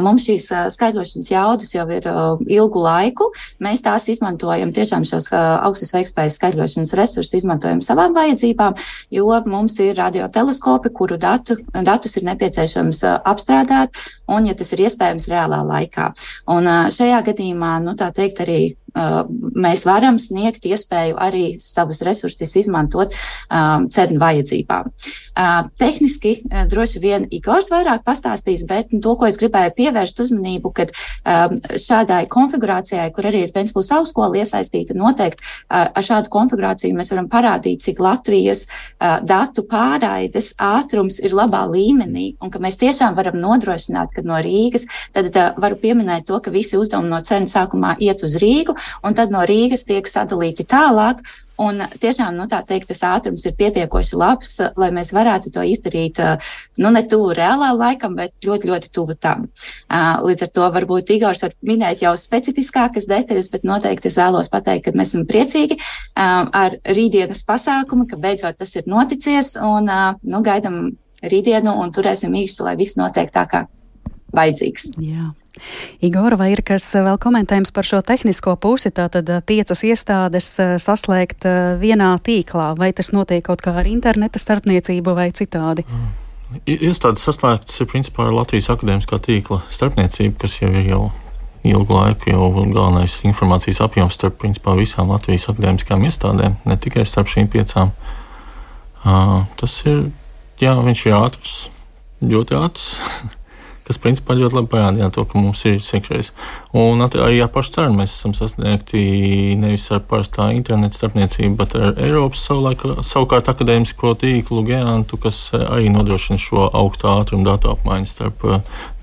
mums šīs skaitļošanas jaudas jau ir ilgu laiku. Mēs tās izmantojam, tiešām šos augstas veiktspējas skaitļošanas resursus izmantojam savām vajadzībām, jo mums ir radioteleskopi, kuru datu, datus ir nepieciešams apstrādāt, un, ja tas ir iespējams, reālā laikā. Un šajā gadījumā, nu tā teikt, arī Uh, mēs varam sniegt iespēju arī savus resursus izmantot um, CERN vajadzībām. Uh, tehniski uh, droši vien Igors vairāk pastāstīs, bet to, ko es gribēju pievērst uzmanību, kad um, šādai konfigurācijai, kur arī ir Ventspils augstskola iesaistīta, noteikti uh, ar šādu konfigurāciju mēs varam parādīt, cik Latvijas uh, datu pārraides ātrums ir labā līmenī, un ka mēs tiešām varam nodrošināt, ka no Rīgas, tad uh, varu pieminēt to, ka visi uzdevumi no CERN sākumā iet uz Rīgu, un tad no Rīgas tiek sadalīti tālāk, un tiešām, nu tā teikt, tas ātrums ir pietiekoši labs, lai mēs varētu to izdarīt, nu ne tuvu reālā laikam, bet ļoti, ļoti tuvu tam. Līdz ar to varbūt Igors var minēt jau specifiskākas detaļas, bet noteikti es vēlos pateikt, ka mēs esam priecīgi ar rītdienas pasākumu, ka beidzot tas ir noticies, un, nu, gaidam rītdienu un turēsim īkšķi, lai viss notiek tā kā vajadzīgs. Jā. Igor, vai ir kas vēl komentējums par šo tehnisko pusi, tātad piecas iestādes saslēgt vienā tīklā, vai tas notiek kaut kā ar interneta starpniecību vai citādi? Iestādes saslēgtas ir principā ar Latvijas akadēmiskā tīkla starpniecību, kas jau ir jau ilgu laiku jau galvenais informācijas apjoms starp principā visām Latvijas akadēmiskām iestādēm, ne tikai starp šīm piecām. Tas ir, jā, viņš ir ātrs, ļoti ātrs. Kas principā ļoti labi parādīja to, ka mums ir iekšējais. Un arī ar pašu CERN mēs esam sasniegti nevis ar parastā interneta starpniecību, bet ar Eiropas savulaik, savukārt akadēmisko tīklu gigantu, kas arī nodrošina šo augstu ātrumu datu apmaiņu starp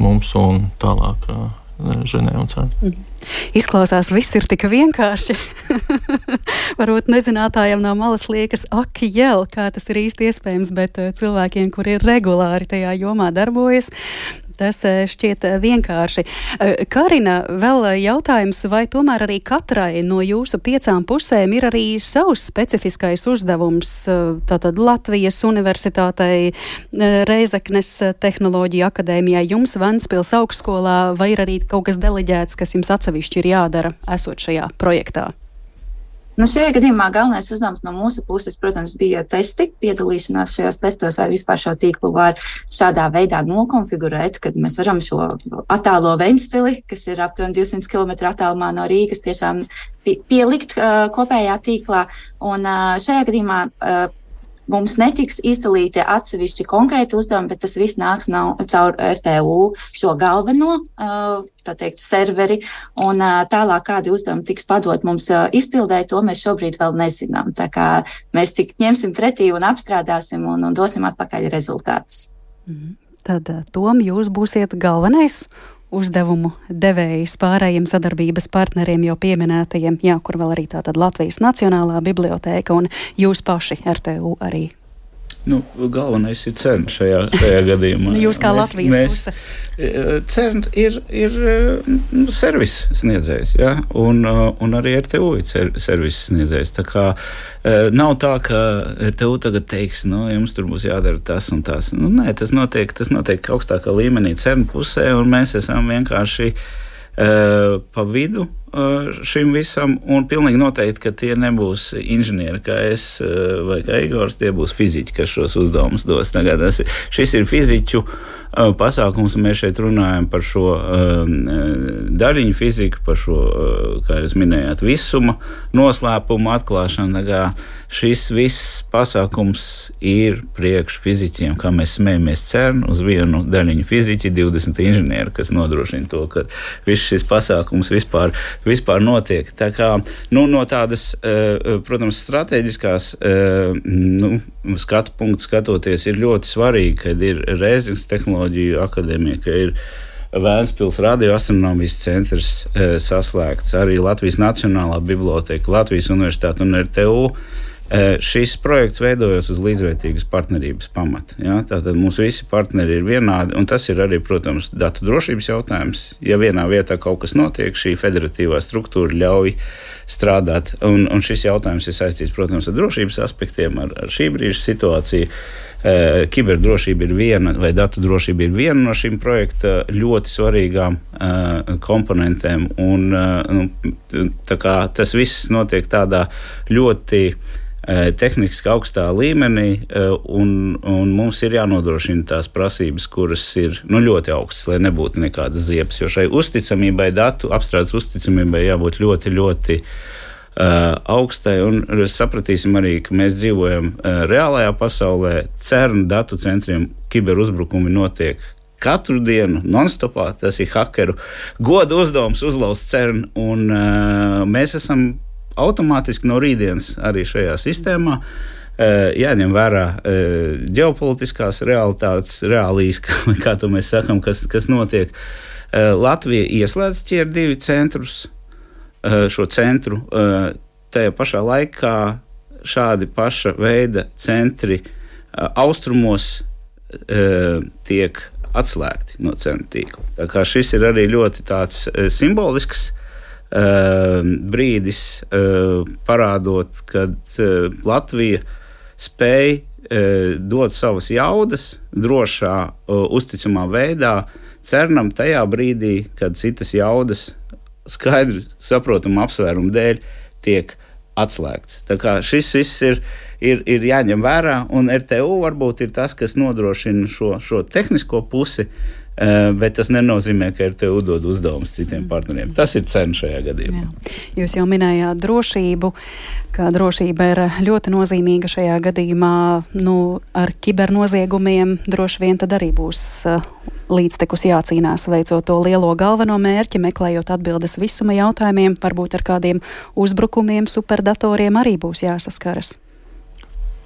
mums un tālāk Ženēvu un CERN. Mm. Izklausās, viss ir tik vienkārši. Varbūt nezinātājiem no malas liekas, ak, jēl, kā tas ir īsti iespējams, bet cilvēkiem, kuri ir regulāri tajā jomā darbojas, tas šķiet vienkārši. Karina, vēl jautājums, vai tomēr arī katrai no jūsu piecām pusēm ir arī savs specifiskais uzdevums, tātad Latvijas Universitātei, Reizeknes Tehnoloģiju akadēmijai, jums Ventspils augstskolā, vai ir arī kaut kas deleģēts, kas jums atsevišķi ir jādara, esot šajā projektā? Nu, šajā gadījumā galvenais uzdevums no mūsu puses, protams, bija testi, piedalīšanās šajos testos, vai vispār šo tīklu var šādā veidā nokonfigurēt, kad mēs varam šo attālo Ventspili, kas ir aptuveni divsimt kilometru attālumā no Rīgas, tiešām pielikt uh, kopējā tīklā. Un uh, šajā gadījumā uh, mums netiks izdalīti atsevišķi konkrēti uzdevumi, bet tas viss nāks no, caur R T U šo galveno, tā teikt, serveri, un tālāk kādi uzdevumi tiks padot mums izpildē, to mēs šobrīd vēl nezinām. Tā kā mēs tik ņemsim pretī un apstrādāsim un, un dosim atpakaļ rezultātus. Mm. Tad, Tom, jūs būsiet galvenais uzdevumu devējs pārējiem sadarbības partneriem jau pieminētajiem, jā, kur vēl arī tātad Latvijas Nacionālā bibliotēka un jūs paši R T U arī. Nu, galvenais ir CERN šajā, šajā gadījumā. Jūs kā Latvijas mēs, puse. CERN ir, ir nu, servis sniedzējs, ja? un, un arī R T U ir servis sniedzējs. Tā kā nav tā, ka R T U tagad teiks, nu, jums tur būs jādara tas un tas. Nu, nē, tas notiek, tas notiek augstākā līmenī CERN pusē, un mēs esam vienkārši uh, pa vidu šim visam, un pilnīgi noteikti, ka tie nebūs inženieri kā es vai kā Igors, tie būs fiziķi, kas šos uzdevumus dos. Tagad tas, šis ir fiziķu pasākums, un mēs šeit runājam par šo daļiņu fiziku, par šo, kā jūs minējāt, visuma noslēpumu atklāšanu. Tagad šis viss pasākums ir priekš fiziķiem, kā mēs smējamies CERN uz vienu daļiņu fiziķi, divdesmit inženieri, kas nodrošina to, ka viss šis pasākums vispār vispār notiek. Tā kā, nu, no tādas, protams, strateģiskās nu, skatu punktu skatoties ir ļoti svarīgi, kad ir Reizeknes Tehnoloģiju akadēmija, ka ir Ventspils radioastronomijas centrs saslēgts, arī Latvijas Nacionālā bibliotēka, Latvijas Universitāte un R T U. Šis projekts veidojas uz līdzvērtīgas partnerības pamata. Ja? Tātad mums visi partneri ir vienādi, un tas ir arī, protams, datu drošības jautājums. Ja vienā vietā kaut kas notiek, šī federatīvā struktūra ļauj strādāt, un, un šis jautājums ir saistīts, protams, ar drošības aspektiem, ar, ar šī brīža situāciju. Uh, kiberdrošība ir viena, vai datu drošība ir viena no šīm projekta ļoti svarīgām uh, komponentēm, un uh, nu, tā kā tas viss notiek tādā ļoti tehniski augstā līmenī, un, un mums ir jānodrošina tās prasības, kuras ir nu, ļoti augstas, lai nebūtu nekādas ziepes, jo šai uzticamībai, datu apstrādes uzticamībai jābūt ļoti, ļoti uh, augstai, un sapratīsim arī, ka mēs dzīvojam uh, reālajā pasaulē, CERN datu centriem kiberuzbrukumi notiek katru dienu, non-stopā, tas ir hakeru goda uzdevums uzlauzt CERN, un uh, mēs esam automātiski no rītdienas arī šajā sistēmā jāņem vērā ģeopolitiskās realitātes, reālijas, kā, kā to mēs sakam, kas, kas notiek. Latvija ieslēdz Tier divi centrus, šo centru. Tajā pašā laikā šādi paša veida centri austrumos tiek atslēgti no CERN tīkla. Tā kā šis ir arī ļoti tāds simbolisks Uh, brīdis uh, parādot, kad uh, Latvija spēj uh, dot savas jaudas drošā, uh, uzticamā veidā CERNam tajā brīdī, kad citas jaudas skaidri saprotamu apsvērumu dēļ tiek atslēgts. Tā kā šis viss ir, ir, ir jāņem vērā, un R T U varbūt ir tas, kas nodrošina šo, šo tehnisko pusi, bet tas nenozīmē, ka ir tev uzdod uzdevumus citiem partneriem. Tas ir cena šajā gadījumā. Jā. Jūs jau minējāt drošību, ka drošība ir ļoti nozīmīga šajā gadījumā. Nu, ar kibernoziegumiem droši vien tad arī būs līdztekus jācīnās, veicot to lielo galveno mērķi, meklējot atbildes visuma jautājumiem, varbūt ar kādiem uzbrukumiem, superdatoriem arī būs jāsaskaras.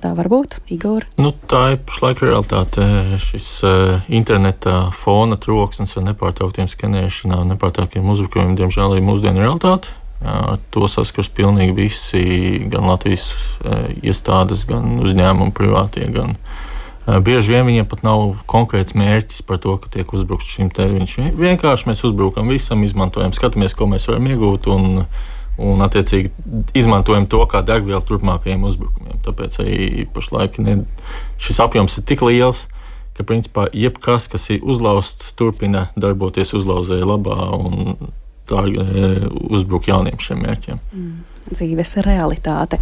Tā var būt, Igor? Nu, tā ir pašlaik realitāte. Šis uh, interneta fona troksnis ar nepārtrauktiem skenēšanām un nepārtrauktiem uzbrukumiem, diemžēl, ir mūsdienu realitāte. Ar to saskars pilnīgi visi, gan Latvijas uh, iestādes, gan uzņēmumi privātie, gan uh, bieži vien viņiem pat nav konkrēts mērķis par to, ka tiek uzbrukts šim te. Viņš vienkārši mēs uzbrukam visam, izmantojam, skatāmies, ko mēs varam iegūt un un attiecīgi izmantojam to kā degvielu turpmākajiem uzbrukumiem. Tāpēc arī pašlaik ne, šis apjoms ir tik liels, ka principā jebkas, kas ir uzlausts, turpina darboties uzlauzēja labā un tā uzbruk jauniem šiem mērķiem. Mm, dzīves realitāte.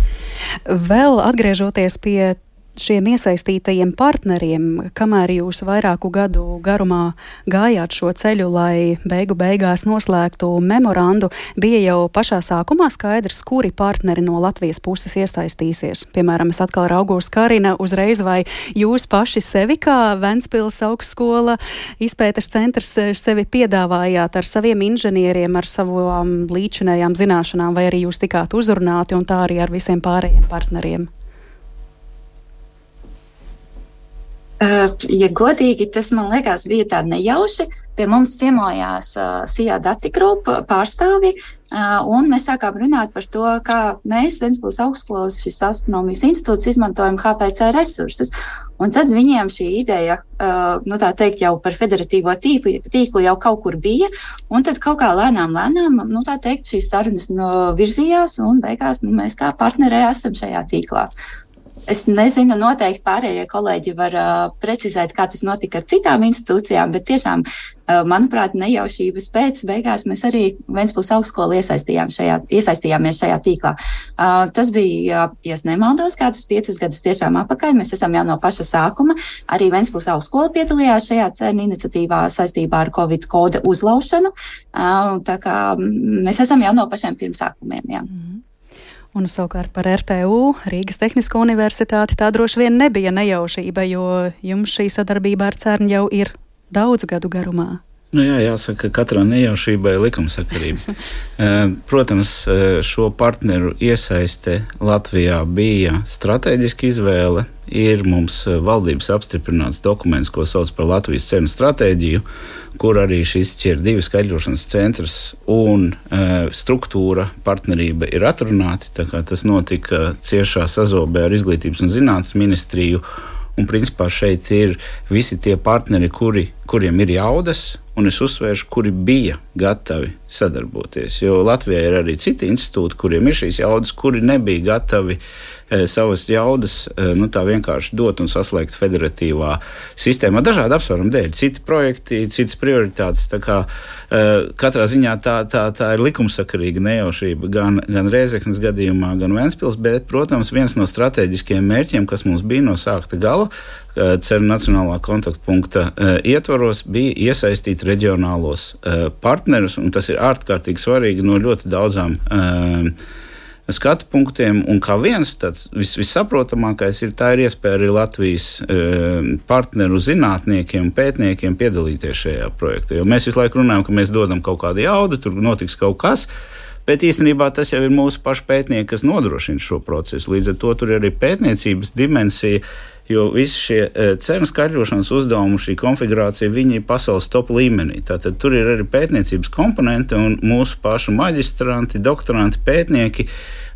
Vēl atgriežoties pie šiem iesaistītajiem partneriem, kamēr jūs vairāku gadu garumā gājāt šo ceļu, lai beigu beigās noslēgtu memorandu, bija jau pašā sākumā skaidrs, kuri partneri no Latvijas puses iesaistīsies. Piemēram, es atkal raugos Karina uzreiz, vai jūs paši sevi kā Ventspils augstskola izpētes centrs sevi piedāvājāt ar saviem inženieriem, ar savām līdzinējām zināšanām, vai arī jūs tikāt uzrunāti un tā arī ar visiem pārējiem partneriem? Ja godīgi, tas, man liekas, bija tā nejauši. Pie mums ciemojās uh, Sijā Dati grupa pārstāvji, uh, un mēs sākām runāt par to, kā mēs, Ventspils augstskolas, šis astronomijas institūts, izmantojam H P C resursus. Un tad viņiem šī ideja, uh, nu tā teikt, jau par federatīvo tīklu, tīklu jau kaut kur bija, un tad kaut kā lēnām, lēnām, nu tā teikt, šīs sarunas no virzījās, un beigās nu, mēs kā partneri esam šajā tīklā. Es nezinu, noteikti pārējie kolēģi var uh, precizēt, kā tas notika ar citām institūcijām, bet tiešām, uh, manuprāt, nejaušības pēc beigās mēs arī Ventspils augstskolu iesaistījām šajā, iesaistījāmies šajā tīklā. Uh, tas bija, ja es nemaldos, kādus piecus gadus tiešām apakaļ. Mēs esam jau no paša sākuma. Arī Ventspils augstskola piedalījās šajā CERN iniciatīvā saistībā ar Covid koda uzlaušanu. Uh, tā kā mēs esam jau no pašiem pirmsākumiem, jā. Mm. Un savukārt par R T U, Rīgas Tehnisko universitāti, tā droši vien nebija nejaušība, jo jums šī sadarbība ar CERN jau ir daudzu gadu garumā. Nu jā, jāsaka, ka katrā nejaušībai ir likumsakarība. Protams, šo partneru iesaiste Latvijā bija stratēģiska izvēle. Ir mums valdības apstiprināts dokuments, ko sauc par Latvijas CERN stratēģiju, kur arī šis ir divi skaidrošanas centrs un e, struktūra, partnerība ir atrunāti. Tā kā tas notika ciešā sazobē ar Izglītības un zinātnes ministriju. Un principā šeit ir visi tie partneri, kuri, kuriem ir jaudas, un es uzsvēršu, kuri bija gatavi sadarboties. Jo Latvijā ir arī citi institūti, kuriem ir šīs jaudas, kuri nebija gatavi e, savas jaudas e, nu, tā vienkārši dot un saslēgt federatīvā sistēmā. Dažādu apsvērumu dēļ, citi projekti, citas prioritātes. Tā kā e, katrā ziņā tā, tā, tā ir likumsakarīga nejaušība gan, gan Rēzeknes gadījumā, gan Ventspils, bet, protams, viens no strateģiskajiem mērķiem, kas mums bija no sākta gala, CERN nacionālā kontaktpunkta uh, ietvaros, bija iesaistīt reģionālos uh, partnerus, un tas ir ārkārtīgi svarīgi no ļoti daudzām uh, skatu punktiem, un kā viens tāds vis, vissaprotamākais ir, tā ir iespēja arī Latvijas uh, partneru zinātniekiem un pētniekiem piedalīties šajā projektā, jo mēs visu laiku runājam, ka mēs dodam kaut kādu jaudu, tur notiks kaut kas, bet īstenībā tas jau ir mūsu pašu pētnieki, kas nodrošina šo procesu, līdz ar to tur ir arī pētniecības dimensija, jo visi šie CERN skaidrošanas uzdevumi, šī konfigurācija, viņi ir pasaules top līmenī. Tātad tur ir arī pētniecības komponenti un mūsu pašu maģistranti, doktoranti, pētnieki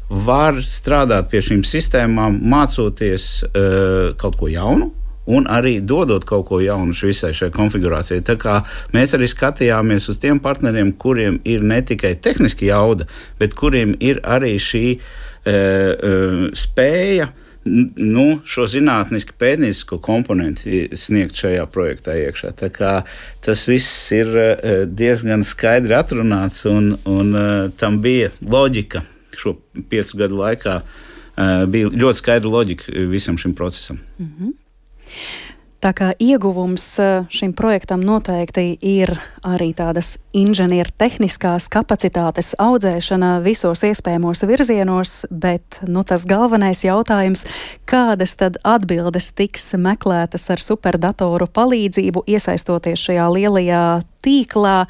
var strādāt pie šīm sistēmām, mācoties uh, kaut ko jaunu un arī dodot kaut ko jaunu visai šai konfigurācijai. Tā kā mēs arī skatījāmies uz tiem partneriem, kuriem ir ne tikai tehniski jauda, bet kuriem ir arī šī uh, uh, spēja nu, šo zinātniski pētniecisko komponenti sniegt šajā projektā iekšā. Tā kā tas viss ir diezgan skaidri atrunāts un, un tam bija loģika šo piecu gadu laikā. Bija ļoti skaidra loģika visam šim procesam. Mm-hmm. Tā kā ieguvums šim projektam noteikti ir arī tādas inženieru tehniskās kapacitātes audzēšana visos iespējamos virzienos, bet nu, tas galvenais jautājums, kādas tad atbildes tiks meklētas ar superdatoru palīdzību, iesaistoties šajā lielajā tīklā,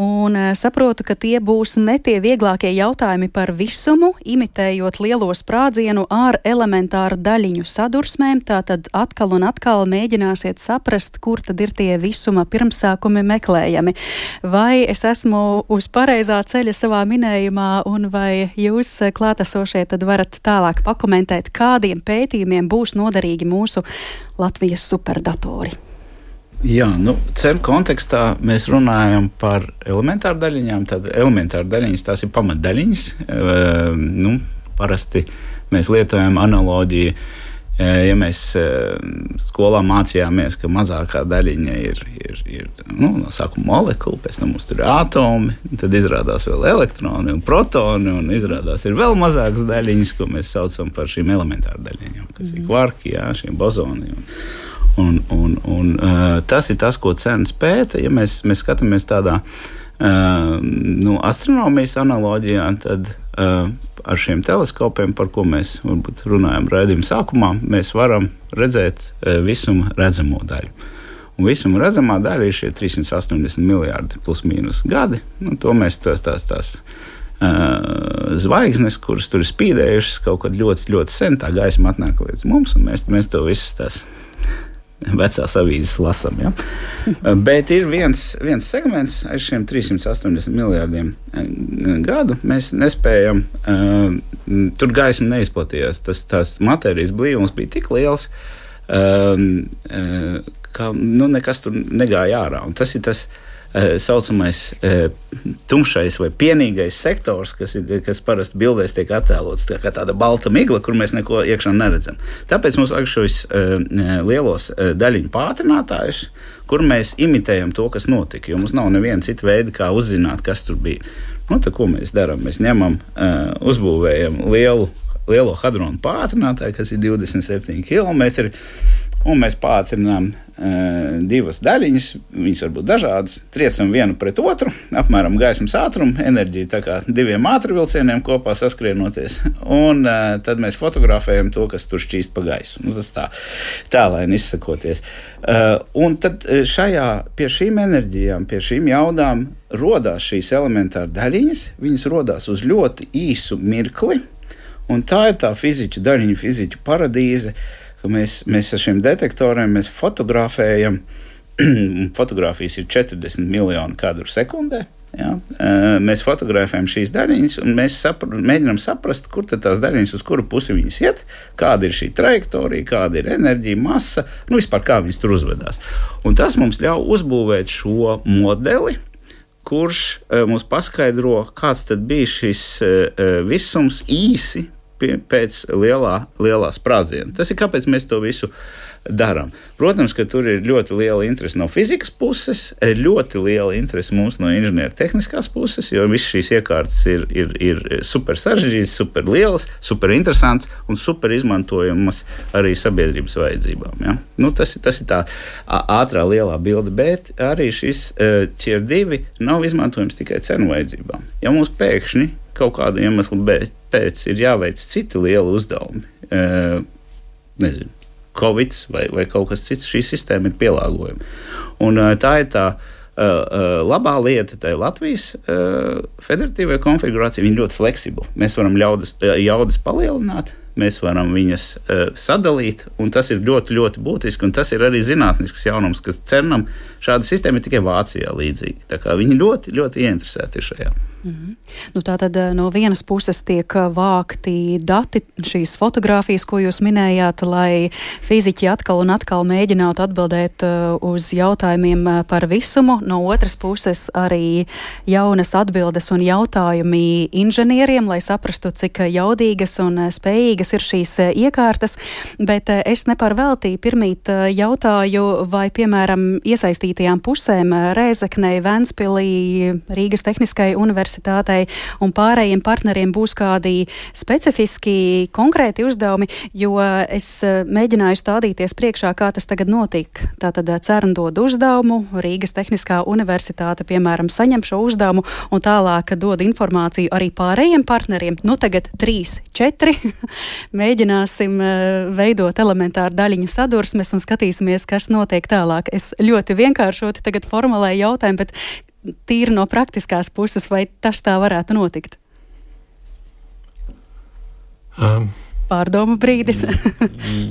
un saprotu, ka tie būs ne tie vieglākie jautājumi par visumu, imitējot lielo sprādzienu ar elementāru daļiņu sadursmēm, tātad atkal un atkal mēģināsiet saprast, kur tad ir tie visuma pirmsākumi meklējami. Vai es esmu uz pareizā ceļa savā minējumā, un vai jūs klātesošie tad varat tālāk pakomentēt, kādiem pētījumiem būs noderīgi mūsu Latvijas superdatori? Jā, nu, CERN kontekstā mēs runājam par elementāru daļiņām. Tad elementāru daļiņas, tās ir pamatdaļiņas. E, nu, parasti mēs lietojam analoģiju, e, ja mēs e, skolā mācījāmies, ka mazākā daļiņa ir, ir, ir nu, no sākuma molekula, pēc tam mums tur ir atomi, tad izrādās vēl elektroni un protoni, un izrādās ir vēl mazākas daļiņas, ko mēs saucam par šīm elementāru daļiņām, kas mm. ir kvarki, jā, šiem bozoni. Un, Un, un, un, uh, tas ir tas, ko CERN pēta. Ja mēs, mēs skatāmies tādā uh, nu, astronomijas analoģijā, tad uh, ar šiem teleskopiem, par ko mēs varbūt runājam raidījuma sākumā, mēs varam redzēt uh, visuma redzamo daļu. Un visuma redzamā daļa ir šie trīs simti astoņdesmit miljārdi plus mīnus gadi. Nu, to mēs tās, tās, tās uh, zvaigznes, kuras tur ir spīdējušas kaut kad ļoti, ļoti sen, tā gaisma atnāk līdz mums, un mēs, mēs to visas tās vecās avīzes lasām. Ja? Bet ir viens, viens segments aiz šiem trīs simti astoņdesmit miljārdiem gadu. Mēs nespējam, uh, tur gaisma neizplatījās. Tas, tās matērijas blīvums bija tik liels, uh, uh, ka nu, nekas tur negāja ārā. Un tas ir tas uh, saucamais uh, tumšais vai pienīgais sektors, kas, ir, kas parasti bildēs tiek attēlots tā kā tāda balta migla, kur mēs neko iekšā neredzam. Tāpēc mums vajag šos uh, lielos uh, daļiņu pātrinātājus, kur mēs imitējam to, kas notika, jo mums nav neviena cita veida, kā uzzināt, kas tur bija. Nu, tad, ko mēs darām? Mēs ņemam, uh, uzbūvējam lielu, lielo hadronu pātrinātāju, kas ir divdesmit septiņi kilometri, un mēs pātrinām uh, divas daļiņas, viņas var būt dažādas, triecam vienu pret otru, apmēram gaismas ātrumu, enerģiju tā kā diviem ātrvilcieniem kopā saskrienoties, un uh, tad mēs fotografējam to, kas tur šķīst pa gaisu. Nu, tas tā, tālaini izsakoties. Uh, un tad šajā, pie šīm enerģijām, pie šīm jaudām rodās šīs elementāra daļiņas, viņas rodās uz ļoti īsu mirkli, un tā ir tā fiziķu daļiņu, fiziķu paradīze, ka mēs, mēs ar šiem detektoriem mēs fotografējam, fotografijas ir četrdesmit miljoni kadru sekundē, ja? Mēs fotografējam šīs daļiņas un mēs sapra, mēģinām saprast, kur tad tās daļiņas, uz kuru pusi viņas iet, kāda ir šī trajektorija, kāda ir enerģija, masa, nu vispār kā viņas tur uzvedās. Un tas mums ļauj uzbūvēt šo modeli, kurš uh, mums paskaidro, kāds tad bija šis uh, visums īsi pēc lielā, lielā sprādziena. Tas ir kāpēc mēs to visu darām. Protams, ka tur ir ļoti liela interese no fizikas puses, ļoti liela interese mums no inženieru tehniskās puses, jo visas šīs iekārtas ir, ir, ir super sarežģītas, super lielas, super interesants un super izmantojamas arī sabiedrības vajadzībām. Ja? Nu, tas, tas ir tā ātrā lielā bilde, bet arī šis ķer divi nav izmantojams tikai CERN vajadzībām. Ja mums pēkšņi kaut kādu iemeslu pēc ir jāveic citi lieli uzdevumi, e, nezinu, Covid vai, vai kaut kas cits, šī sistēma ir pielāgojama. Un tā ir tā uh, labā lieta, tā ir Latvijas uh, federatīvā konfigurācija, viņa ļoti fleksibla. Mēs varam ļaudas, jaudas palielināt, mēs varam viņas uh, sadalīt, un tas ir ļoti, ļoti būtiski, un tas ir arī zinātnisks jaunums, kas CERNam šāda sistēma ir tikai Vācijā līdzīga. Tā kā viņi ļoti, ļoti ieinteresēti ir šajā. Mm-hmm. Nu, tātad no vienas puses tiek vākti dati, šīs fotogrāfijas, ko jūs minējāt, lai fiziķi atkal un atkal mēģinātu atbildēt uz jautājumiem par visumu. No otras puses arī jaunas atbildes un jautājumi inženieriem, lai saprastu, cik jaudīgas un spējīgas ir šīs iekārtas. Bet es nepar veltī pirmīt jautāju, vai, piemēram, iesaistītajām pusēm Rēzeknei, Ventspilī, Rīgas Tehniskai universitātei universitātei un pārējiem partneriem būs kādi specifiski, konkrēti uzdevumi, jo es mēģināju stādīties priekšā, kā tas tagad notiek. Tātad CERN dod uzdevumu, Rīgas Tehniskā universitāte, piemēram, saņem šo uzdevumu un tālāk dod informāciju arī pārējiem partneriem. Nu, tagad trīs, četri. Mēģināsim veidot elementāru daļiņu sadursmes un skatīsimies, kas notiek tālāk. Es ļoti vienkāršoti tagad formulēju jautājumu, bet tīri no praktiskās puses, vai tas tā varētu notikt? Um, Pārdomu brīdis.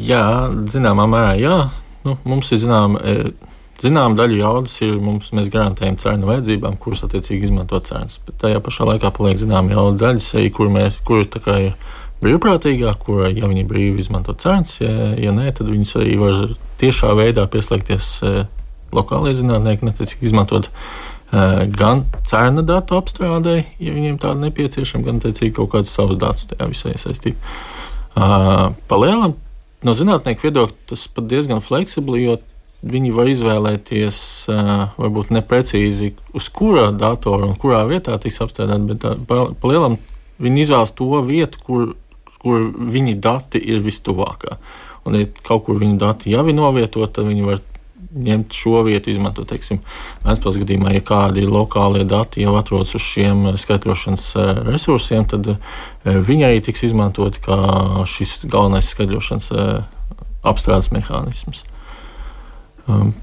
jā, zināmā mērā, jā. Nu, mums ir zinām, zinām daļa jaudas, ir mums, mēs garantējam CERN vajadzībām, kuras attiecīgi izmanto CERNs. Bet tajā pašā laikā paliek zinām jauda daļas, kur mēs, kur tā kā ir brīvprātīgā, kura, ja viņi brīvi izmanto CERNs, ja, ja nē, tad viņus arī var tiešā veidā pieslēgties uh, lokālajie zinātnieki, netiecīgi izmantot uh, gan CERN datu apstrādē, ja viņiem tāda nepieciešama, gan tiecīgi kaut kādas savas datus tajā visā iesaistīt. Uh, Palielam, no zinātnieku viedokļa tas pat diezgan fleksibli, jo viņi var izvēlēties uh, varbūt neprecīzi, uz kurā datora un kurā vietā tiks apstrādāt, bet uh, palielam viņi izvēlas to vietu, kur kur viņi dati ir vistuvākā. Un, ja kaut kur viņu dati jau ir novietot, tad viņi var ņemt šo vietu, izmantot, teiksim, Vēncpils gadījumā, ja kādi lokālie dati jau atrodas uz šiem skaitļošanas resursiem, tad viņi arī tiks izmantoti kā šis galvenais skaitļošanas apstrādes mehānisms. Um,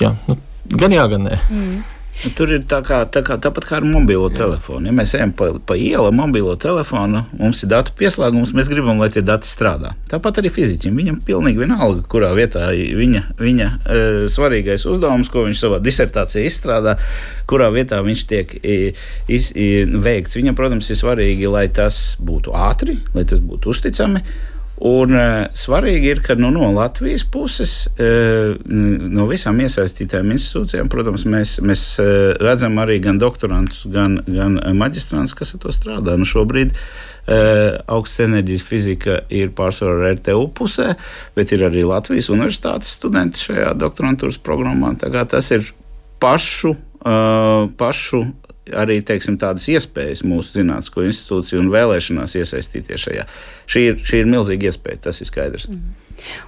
jā, nu, gan jā, gan nē. Mm. Tur ir tā kā, tā kā, tāpat kā ar mobilo telefonu. Ja mēs ejam pa, pa ielu mobilo telefonu, mums ir datu pieslēgums, mēs gribam, lai tie dati strādā. Tāpat arī fiziķim. Viņam pilnīgi vienalga, kurā vietā viņa, viņa e, svarīgais uzdevums, ko viņš savā disertācijā izstrādā, kurā vietā viņš tiek iz, veikts. Viņam, protams, ir svarīgi, lai tas būtu ātri, lai tas būtu uzticami. Un uh, svarīgi ir, ka nu, no Latvijas puses, uh, no visām iesaistītām institūcijām, protams, mēs, mēs uh, redzam arī gan doktorantus, gan, gan maģistrantus, kas ar to strādā. Nu, šobrīd uh, augsts enerģijas fizika ir pārsvarā R T U pusē, bet ir arī Latvijas universitātes studenti šajā doktorantūras programmā. Tā kā tas ir pašu, uh, pašu arī, teiksim, tādas iespējas mūsu zinātnisko institūciju un vēlēšanās iesaistīties šajā. Šī ir, šī ir milzīga iespēja, tas ir skaidrs. Mm.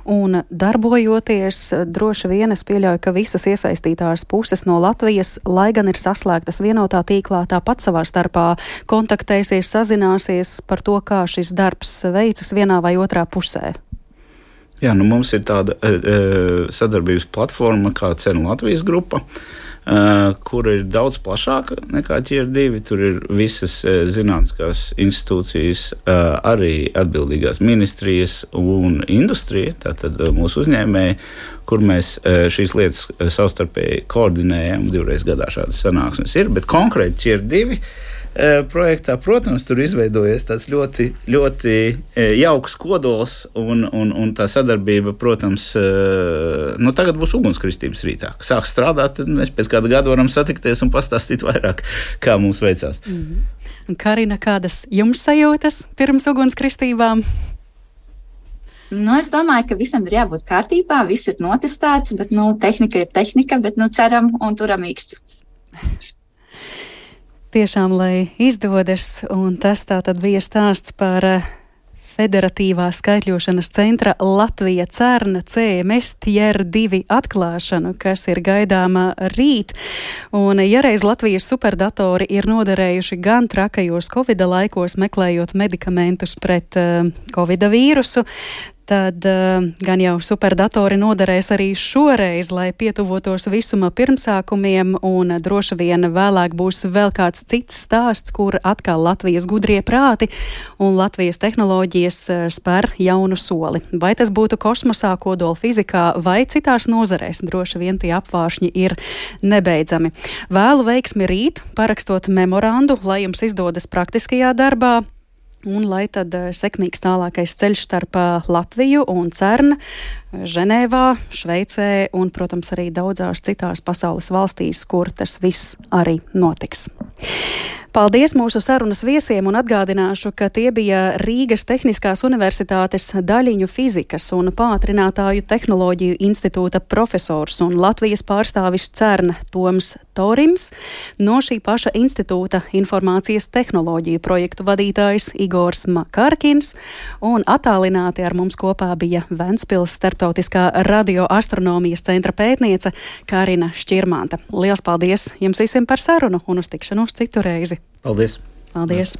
Un darbojoties, droši vien es pieļauju, ka visas iesaistītās puses no Latvijas, lai gan ir saslēgtas vienotā tīklā, tāpat savā starpā kontaktēsies, sazināsies par to, kā šis darbs veicas vienā vai otrā pusē. Jā, nu mums ir tāda e, sadarbības platforma kā CERN Latvijas grupa, Uh, kur ir daudz plašāka nekā Q R divi. Tur ir visas uh, zinātniskās institūcijas, uh, arī atbildīgās ministrijas un industrija, tātad uh, mūsu uzņēmēji, kur mēs uh, šīs lietas uh, savstarpēji koordinējam. Divreiz gadā šādas sanāksmes ir, bet konkrēti Q R divi projektā, protams, tur izveidojies tāds ļoti, ļoti jauks kodols un, un, un tā sadarbība, protams, nu tagad būs ugunskristības rītā. Sāks strādāt, tad mēs pēc kāda gada varam satikties un pastāstīt vairāk, kā mums veicās. Mm-hmm. Karina, kādas jums sajūtas pirms ugunskristībām? Nu, es domāju, ka visam ir jābūt kārtībā, viss ir notestēts, bet, nu, tehnika ir tehnika, bet, nu, ceram un turam īkšķus. Tiešām, lai izdodas, un tas tā tad bija stāsts par Federatīvā skaitļošanas centra Latvija CERN C M S T R divi atklāšanu, kas ir gaidāma rīt. Un, ja reiz Latvijas superdatori ir noderējuši gan trakajos Covida laikos, meklējot medikamentus pret uh, Covida vīrusu, tad uh, gan jau superdatori noderēs arī šoreiz, lai pietuvotos visuma pirmsākumiem, un droši vien vēlāk būs vēl kāds cits stāsts, kur atkal Latvijas gudrie prāti un Latvijas tehnoloģijas spēr jaunu soli. Vai tas būtu kosmosā, kodola fizikā vai citās nozarēs, droši vien tie apvāršņi ir nebeidzami. Vēlu veiksmi rīt, parakstot memorandu, lai jums izdodas praktiskajā darbā. Un lai tad sekmīgs tālākais ceļš starp Latviju un CERN Ženēvā, Šveicē un, protams, arī daudzās citās pasaules valstīs, kur tas viss arī notiks. Paldies mūsu sarunas viesiem un atgādināšu, ka tie bija Rīgas Tehniskās Universitātes daļiņu fizikas un pātrinātāju tehnoloģiju institūta profesors un Latvijas pārstāvis CERN Toms Torims, no šī paša institūta informācijas tehnoloģiju projektu vadītājs Igors Makarkins un attālināti ar mums kopā bija Ventspils Starptautiskā radioastronomijas centra pētniece Karina Šķirmanta. Liels paldies jums visiem par sarunu un uz tikšanos citu reizi! Paldies! Paldies!